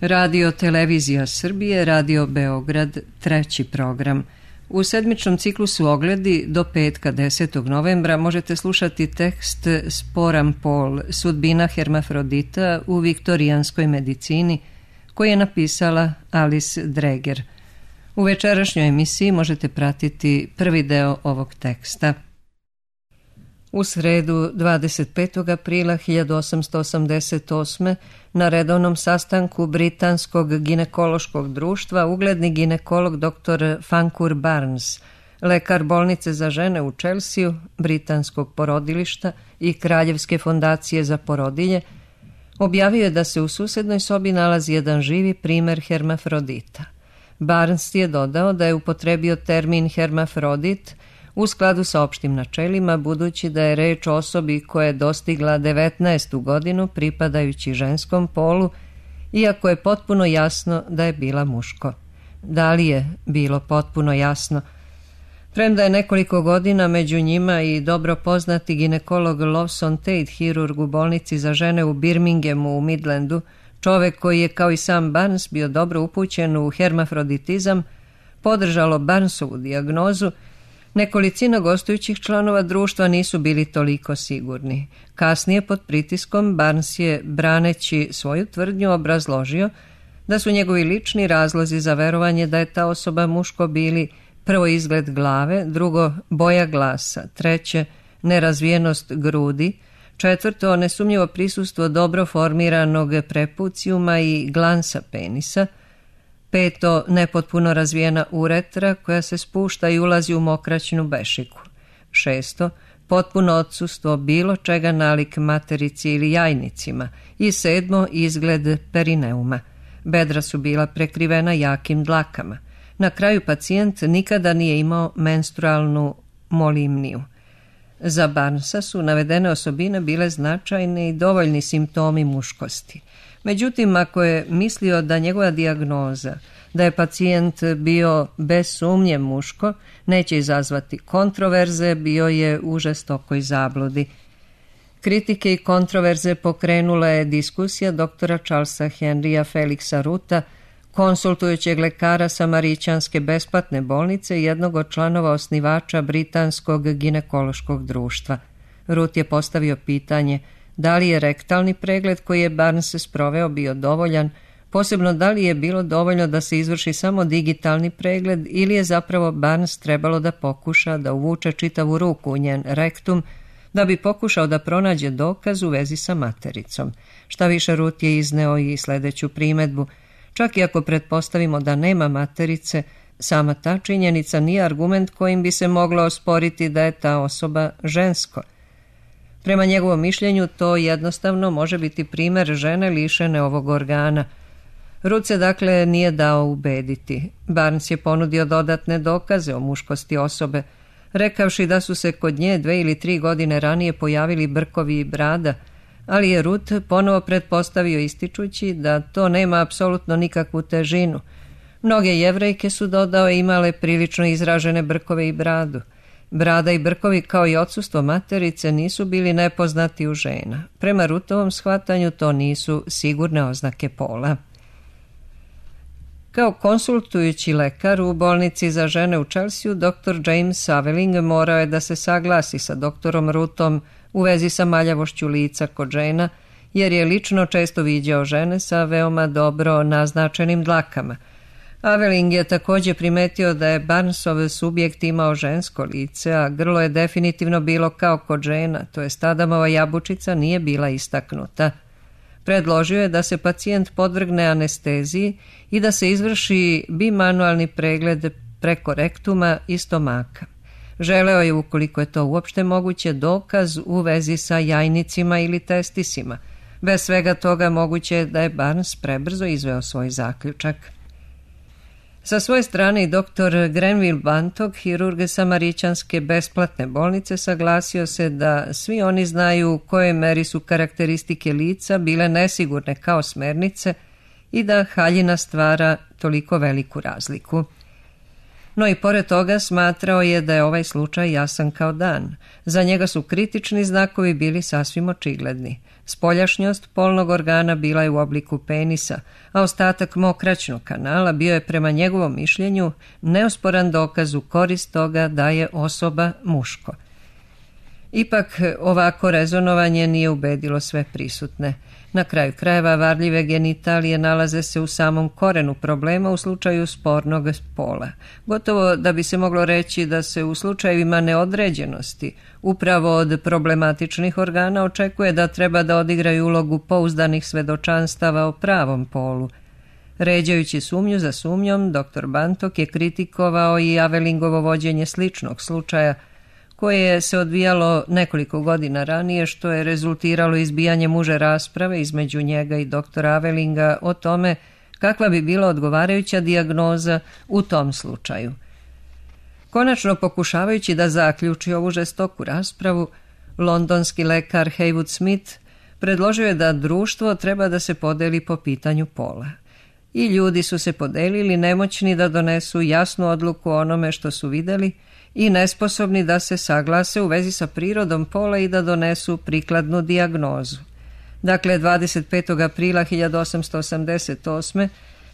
Radio Televizija Srbije, Radio Beograd, treći program. U sedmičnom ciklusu Ogledi do petka 10. novembra možete slušati tekst Sporan pol, sudbina hermafrodita u viktorijanskoj medicini, koji je napisala Alice Dreger. U večerašnjoj emisiji možete pratiti prvi deo ovog teksta. U sredu 25. aprila 1888. na redovnom sastanku Britanskog ginekološkog društva ugledni ginekolog dr. Fancour Barnes, lekar bolnice za žene u Čelsiju, britanskog porodilišta i Kraljevske fondacije za porodilje, objavio je da se u susednoj sobi nalazi jedan živi primer hermafrodita. Barnes je dodao da je upotrebio termin hermafrodit u skladu sa opštim načelima, budući da je reč o osobi koja je dostigla 19. godinu pripadajući ženskom polu, iako je potpuno jasno da je bila muško. Da li je bilo potpuno jasno? Premda je nekoliko godina među njima i dobro poznati ginekolog Lawson Tate, hirurg u bolnici za žene u Birminghamu u Midlandu, čovek koji je kao i sam Barnes bio dobro upućen u hermafroditizam, podržalo Barnesovu dijagnozu, nekolicina gostujućih članova društva nisu bili toliko sigurni. Kasnije, pod pritiskom, Barnes je, braneći svoju tvrdnju, obrazložio da su njegovi lični razlozi za verovanje da je ta osoba muško bili: prvo, izgled glave, drugo, boja glasa, treće, nerazvijenost grudi, četvrto, nesumnjivo prisustvo dobro formiranog prepucijuma i glansa penisa, peto, nepotpuno razvijena uretra koja se spušta i ulazi u mokraćnu bešiku, šesto, potpuno odsustvo bilo čega nalik materici ili jajnicima i sedmo, izgled perineuma. Bedra su bila prekrivena jakim dlakama. Na kraju, pacijent nikada nije imao menstrualnu molimniju. Za Barnesa su navedene osobine bile značajne i dovoljni simptomi muškosti. Međutim, ako je mislio da njegova dijagnoza, da je pacijent bio bez sumnje muško, neće izazvati kontroverze, bio je u žestokoj zabludi. Kritike i kontroverze pokrenula je diskusija doktora Charlesa Henrya Felixa Ruta, konsultujućeg lekara Samarićanske besplatne bolnice i jednog od članova osnivača Britanskog ginekološkog društva. Rut je postavio pitanje da li je rektalni pregled koji je Barnes sproveo bio dovoljan, posebno da li je bilo dovoljno da se izvrši samo digitalni pregled ili je zapravo Barnes trebalo da pokuša da uvuče čitavu ruku u njen rektum, da bi pokušao da pronađe dokaz u vezi sa matericom. Šta više, Rut je izneo i sledeću primedbu: čak i ako pretpostavimo da nema materice, sama ta činjenica nije argument kojim bi se moglo osporiti da je ta osoba žensko. Prema njegovom mišljenju, to jednostavno može biti primer žene lišene ovog organa. Rut se dakle nije dao ubediti. Barnes je ponudio dodatne dokaze o muškosti osobe, rekavši da su se kod nje 2 ili 3 godine ranije pojavili brkovi i brada, ali je Rut ponovo pretpostavio ističući da to nema apsolutno nikakvu težinu. Mnoge Jevrejke, su dodao, imale prilično izražene brkove i bradu. Brada i brkovi kao i odsustvo materice nisu bili nepoznati u žena. Prema Rutovom shvatanju to nisu sigurne oznake pola. Kao konsultujući lekar u bolnici za žene u Čelsiju, dr. James Aveling morao je da se saglasi sa doktorom Rutom u vezi sa maljavošću lica kod žena, jer je lično često viđao žene sa veoma dobro naznačenim dlakama. Aveling je također primetio da je Barnesov subjekt imao žensko lice, a grlo je definitivno bilo kao kod žena, to jest Adamova jabučica nije bila istaknuta. Predložio je da se pacijent podvrgne anesteziji i da se izvrši bimanualni pregled preko rektuma i stomaka. Želeo je, ukoliko je to uopšte moguće, dokaz u vezi sa jajnicima ili testisima. Bez svega toga moguće je da je Barnes prebrzo izveo svoj zaključak. Sa svoje strane i dr. Grenville Bantock, hirurg Samarićanske besplatne bolnice, saglasio se da svi oni znaju u kojoj meri su karakteristike lica bile nesigurne kao smernice i da haljina stvara toliko veliku razliku. No i pored toga smatrao je da je ovaj slučaj jasan kao dan. Za njega su kritični znakovi bili sasvim očigledni. Spoljašnjost polnog organa bila je u obliku penisa, a ostatak mokraćnog kanala bio je prema njegovom mišljenju neosporan dokaz u korist toga da je osoba muško. Ipak ovako rezonovanje nije ubedilo sve prisutne. Na kraju krajeva varljive genitalije nalaze se u samom korenu problema u slučaju spornog pola. Gotovo da bi se moglo reći da se u slučajevima neodređenosti upravo od problematičnih organa očekuje da treba da odigraju ulogu pouzdanih svedočanstava o pravom polu. Ređajući sumnju za sumnjom, dr. Bantok je kritikovao i Avelingovo vođenje sličnog slučaja koje se odvijalo nekoliko godina ranije, što je rezultiralo izbijanjem uže rasprave između njega i doktora Avelinga o tome kakva bi bila odgovarajuća dijagnoza u tom slučaju. Konačno, pokušavajući da zaključi ovu žestoku raspravu, londonski lekar Heywood Smith predložio je da društvo treba da se podeli po pitanju pola. I ljudi su se podelili, nemoćni da donesu jasnu odluku o onome što su vidjeli i nesposobni da se saglase u vezi sa prirodom pola i da donesu prikladnu dijagnozu. Dakle, 25. aprila 1888.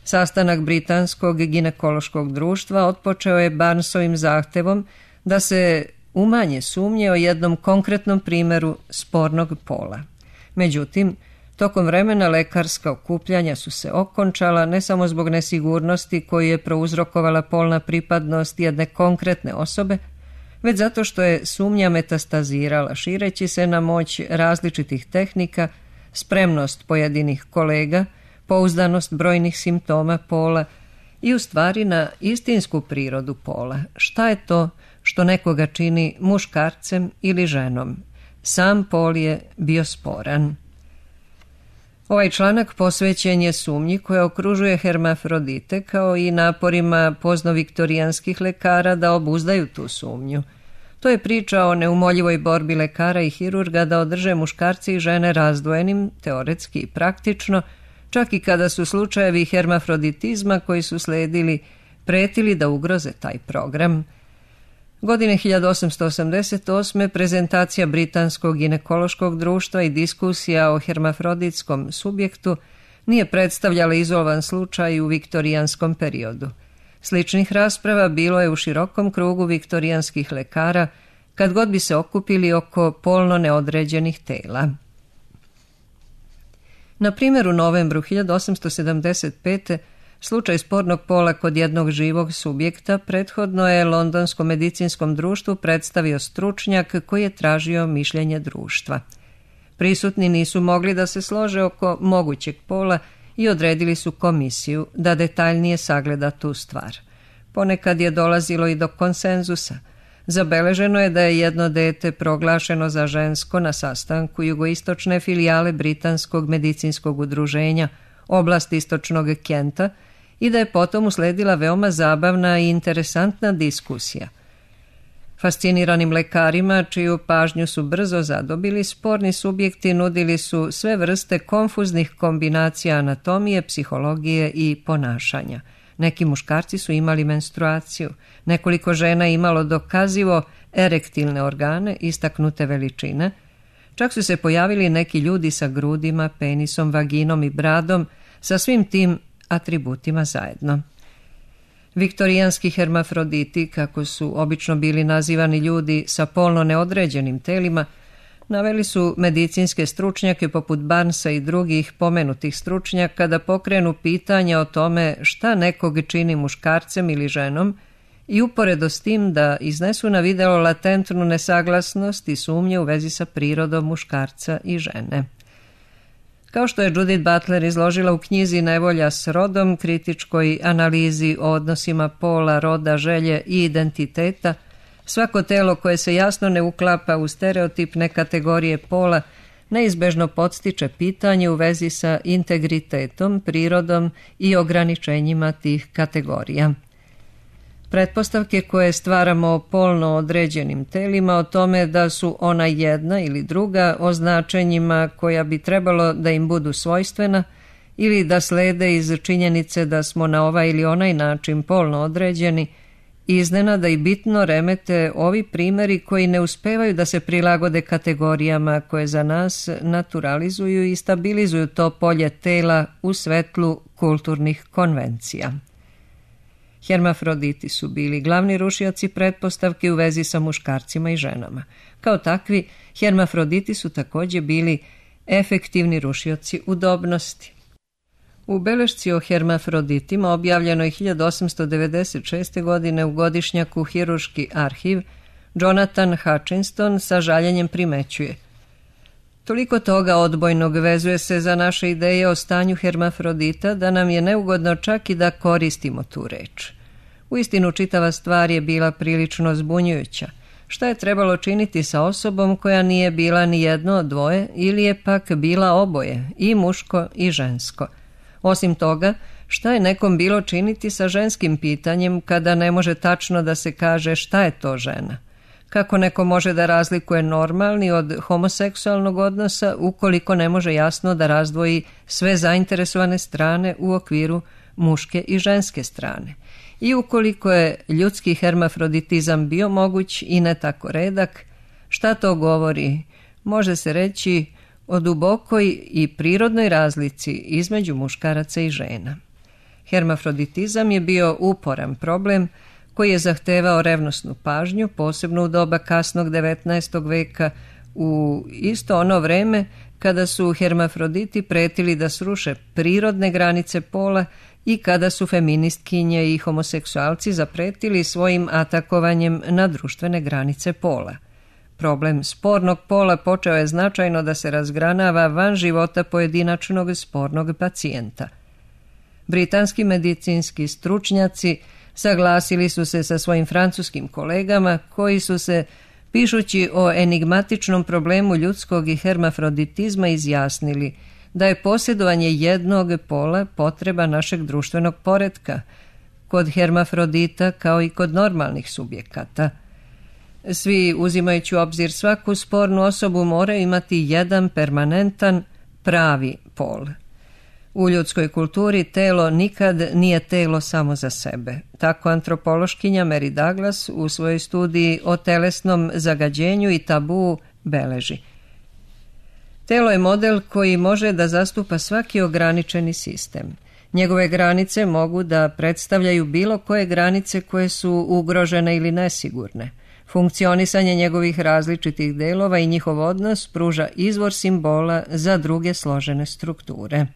sastanak Britanskog ginekološkog društva otpočeo je Barnesovim zahtevom da se umanje sumnje o jednom konkretnom primjeru spornog pola. Međutim, tokom vremena lekarska okupljanja su se okončala ne samo zbog nesigurnosti koju je prouzrokovala polna pripadnost jedne konkretne osobe, već zato što je sumnja metastazirala, šireći se na moć različitih tehnika, spremnost pojedinih kolega, pouzdanost brojnih simptoma pola i u stvari na istinsku prirodu pola. Šta je to što nekoga čini muškarcem ili ženom? Sam pol je bio sporan. Ovaj članak posvećen je sumnji koja okružuje hermafrodite kao i naporima poznoviktorijanskih lekara da obuzdaju tu sumnju. To je priča o neumoljivoj borbi lekara i hirurga da održe muškarci i žene razdvojenim, teoretski i praktično, čak i kada su slučajevi hermafroditizma koji su sledili pretili da ugroze taj program. Godine 1888. prezentacija Britanskog ginekološkog društva i diskusija o hermafroditskom subjektu nije predstavljala izolovan slučaj u viktorijanskom periodu. Sličnih rasprava bilo je u širokom krugu viktorijanskih lekara kad god bi se okupili oko polno neodređenih tela. Na primjer, u novembru 1875. slučaj spornog pola kod jednog živog subjekta prethodno je Londonskom medicinskom društvu predstavio stručnjak koji je tražio mišljenje društva. Prisutni nisu mogli da se slože oko mogućeg pola i odredili su komisiju da detaljnije sagleda tu stvar. Ponekad je dolazilo i do konsenzusa. Zabeleženo je da je jedno dete proglašeno za žensko na sastanku jugoistočne filijale Britanskog medicinskog udruženja oblast istočnog Kenta i da je potom usledila veoma zabavna i interesantna diskusija. Fasciniranim lekarima, čiju pažnju su brzo zadobili, sporni subjekti nudili su sve vrste konfuznih kombinacija anatomije, psihologije i ponašanja. Neki muškarci su imali menstruaciju, nekoliko žena imalo dokazivo erektilne organe, istaknute veličine, čak su se pojavili neki ljudi sa grudima, penisom, vaginom i bradom, sa svim tim atributima zajedno. Viktorijanski hermafroditi, kako su obično bili nazivani ljudi sa polno neodređenim telima, naveli su medicinske stručnjake poput Barnesa i drugih pomenutih stručnjaka da pokrenu pitanja o tome šta nekog čini muškarcem ili ženom i uporedo s tim da iznesu na video latentnu nesaglasnost i sumnje u vezi sa prirodom muškarca i žene. Kao što je Judith Butler izložila u knjizi Nevolja s rodom, kritičkoj analizi o odnosima pola, roda, želje i identiteta, svako telo koje se jasno ne uklapa u stereotipne kategorije pola neizbežno podstiče pitanje u vezi sa integritetom, prirodom i ograničenjima tih kategorija. Pretpostavke koje stvaramo o polno određenim telima o tome da su ona jedna ili druga o značenjima koja bi trebalo da im budu svojstvena ili da slede iz činjenice da smo na ovaj ili onaj način polno određeni Iznenada i bitno remete ovi primjeri koji ne uspevaju da se prilagode kategorijama koje za nas naturalizuju i stabilizuju to polje tela u svetlu kulturnih konvencija. Hermafroditi su bili glavni rušioci pretpostavki u vezi sa muškarcima i ženama. Kao takvi, hermafroditi su također bili efektivni rušioci udobnosti. U belešci o hermafroditima objavljeno je 1896. godine u godišnjaku Hirurški arhiv, Jonathan Hutchinson sa žaljenjem primećuje: toliko toga odbojnog vezuje se za naše ideje o stanju hermafrodita da nam je neugodno čak i da koristimo tu reč. Uistinu čitava stvar je bila prilično zbunjujuća. Šta je trebalo činiti sa osobom koja nije bila ni jedno od dvoje ili je pak bila oboje, i muško i žensko? Osim toga, šta je nekom bilo činiti sa ženskim pitanjem kada ne može tačno da se kaže šta je to žena? Kako neko može da razlikuje normalni od homoseksualnog odnosa ukoliko ne može jasno da razdvoji sve zainteresovane strane u okviru muške i ženske strane? I ukoliko je ljudski hermafroditizam bio moguć i ne tako redak, šta to govori? Može se reći o dubokoj i prirodnoj razlici između muškaraca i žena. Hermafroditizam je bio uporan problem koji je zahtevao revnosnu pažnju, posebno u doba kasnog 19. veka, u isto ono vreme kada su hermafroditi pretili da sruše prirodne granice pola i kada su feministkinje i homoseksualci zapretili svojim atakovanjem na društvene granice pola. Problem spornog pola počeo je značajno da se razgranava van života pojedinačnog spornog pacijenta. Britanski medicinski stručnjaci saglasili su se sa svojim francuskim kolegama koji su se, pišući o enigmatičnom problemu ljudskog i hermafroditizma, izjasnili da je posjedovanje jednog pola potreba našeg društvenog poretka, kod hermafrodita kao i kod normalnih subjekata. Svi, uzimajući u obzir svaku spornu osobu, moraju imati jedan permanentan, pravi pol. U ljudskoj kulturi telo nikad nije telo samo za sebe. Tako antropološkinja Mary Douglas u svojoj studiji o telesnom zagađenju i tabu beleži: telo je model koji može da zastupa svaki ograničeni sistem. Njegove granice mogu da predstavljaju bilo koje granice koje su ugrožene ili nesigurne. Funkcionisanje njegovih različitih delova i njihov odnos pruža izvor simbola za druge složene strukture.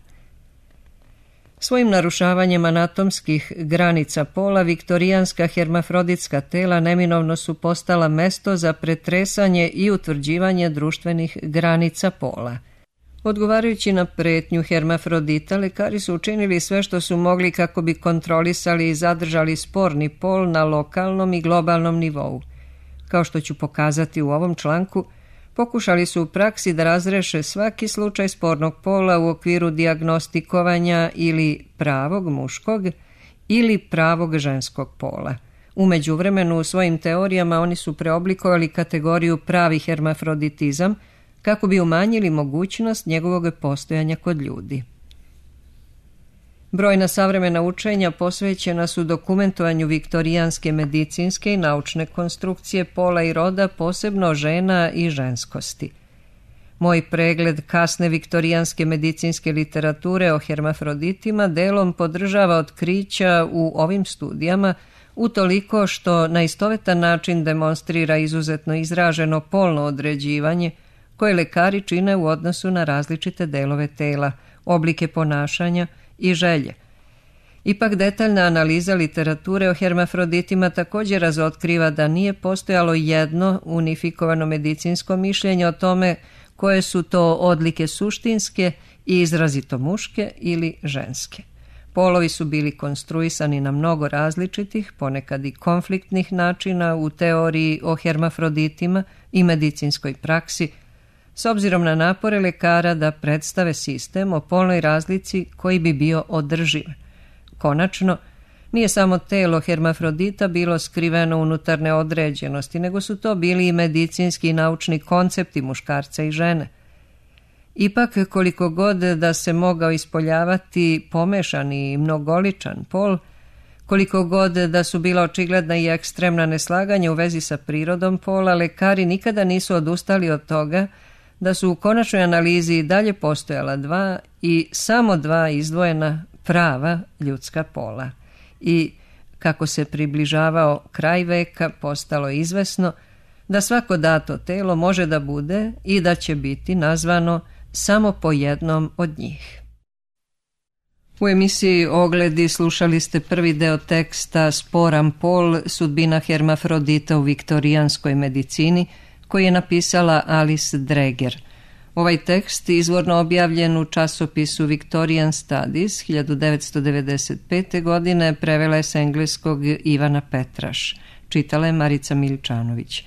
Svojim narušavanjem anatomskih granica pola, viktorijanska hermafroditska tela neminovno su postala mesto za pretresanje i utvrđivanje društvenih granica pola. Odgovarajući na pretnju hermafrodita, lekari su učinili sve što su mogli kako bi kontrolisali i zadržali sporni pol na lokalnom i globalnom nivou. Kao što ću pokazati u ovom članku, pokušali su u praksi da razreše svaki slučaj spornog pola u okviru dijagnostikovanja ili pravog muškog ili pravog ženskog pola. U međuvremenu u svojim teorijama oni su preoblikovali kategoriju pravi hermafroditizam kako bi umanjili mogućnost njegovog postojanja kod ljudi. Brojna savremena učenja posvećena su dokumentovanju viktorijanske medicinske i naučne konstrukcije pola i roda, posebno žena i ženskosti. Moj pregled kasne viktorijanske medicinske literature o hermafroditima delom podržava otkrića u ovim studijama, utoliko što na istovetan način demonstrira izuzetno izraženo polno određivanje koje lekari čine u odnosu na različite delove tela, oblike ponašanja i želje. Ipak detaljna analiza literature o hermafroditima također razotkriva da nije postojalo jedno unifikovano medicinsko mišljenje o tome koje su to odlike suštinske i izrazito muške ili ženske. Polovi su bili konstruisani na mnogo različitih, ponekad i konfliktnih načina u teoriji o hermafroditima i medicinskoj praksi, s obzirom na napore lekara da predstave sistem o polnoj razlici koji bi bio održiv. Konačno, nije samo telo hermafrodita bilo skriveno unutar neodređenosti, nego su to bili i medicinski i naučni koncepti muškarca i žene. Ipak, koliko god da se mogao ispoljavati pomešani i mnogoličan pol, Koliko god da su bila očigledna i ekstremna neslaganja u vezi sa prirodom pola, lekari nikada nisu odustali od toga da su u konačnoj analizi i dalje postojala dva i samo dva izdvojena prava ljudska pola. I kako se približavao kraj veka, postalo je izvesno da svako dato telo može da bude i da će biti nazvano samo po jednom od njih. U emisiji Ogledi slušali ste prvi deo teksta Sporan pol, sudbina hermafrodita u viktorijanskoj medicini, koji je napisala Alice Dreger. Ovaj tekst izvorno objavljen u časopisu Victorian Studies 1995. godine prevela je s engleskog Ivana Petraš. Čitala je Marica Miličanović.